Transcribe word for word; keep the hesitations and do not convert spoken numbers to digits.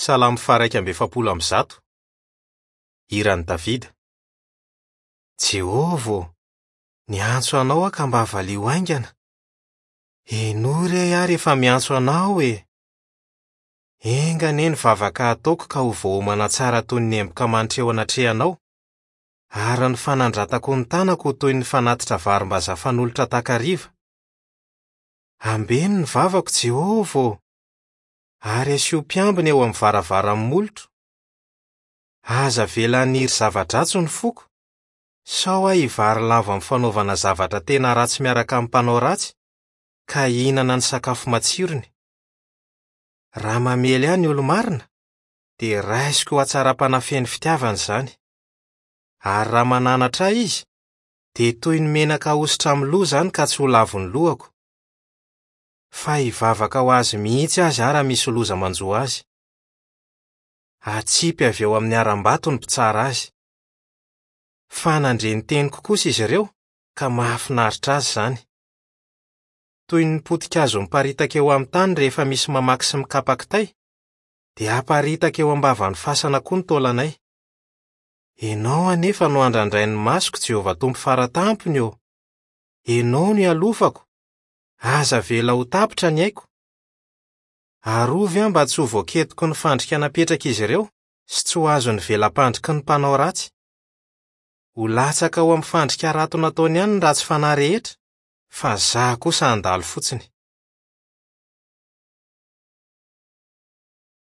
Salamo faha-iraika amby efapolo amby zato. Hiran'i Davida. Jehovah ô, niantso anao aho ka mba valio haingana. Henoy re aho rehefa miantso anao e! Enga anie ny vavaka ataoko ka ho voaomana tsara toy ny emboka manitra eo anatrehanao, ary ny fanandratako ny tanako ho toy ny fanatitra varimbazaha fanolotra takariva. Ambeno ny vavako, Jehovah ô! Ary asio mpiambina eo amin'ny varavaran'ny molotro. Aza avela haniry zava-dratsy ny foko, sao aho hivarilavo amin'ny fanaovana zavatra tena ratsy miaraka amin'ny mpanao ratsy, ka hihinana ny sakafo matsirony. Raha mamely ahy ny olo-marina, dia raisiko ho hatsaram-panahy feno fitiavana izany. Ary raha mananatra ahy izy, dia toy ny menaka ahosotra amin'ny loha izany ka tsy ho lavon'ny lohako. Fa hivavaka ho azy mihitsy aza aho raha misy loza manjo azy. Atsipy avy eo amin'ny harambato ny mpitsara azy. Fa nandre ny teniko kosa izy ireo, ka mahafinaritra azy izany. Toy ny potika-kazo miparitaka eo amin'ny tany rehefa misy mamaky sy mikapa kitay, dia aparitaka eo am-bavan'ny fasana koa ny taolanay. Ianao anefa no andrandrain'ny masoko, Jehovah Tompo Faratampony ô! Ianao no ialofako. Aza avela ho tapitra ny aiko. Arovy aho mba tsy ho voaketiko ny fandrika napetrak'izy ireo sy tsy ho azon'ny vela-pandriky ny mpanao ratsy. Ho latsaka ao amin'ny fandrika harato nataony ihany ny ratsy fanahy rehetra, fa izaho kosa handalo fotsiny.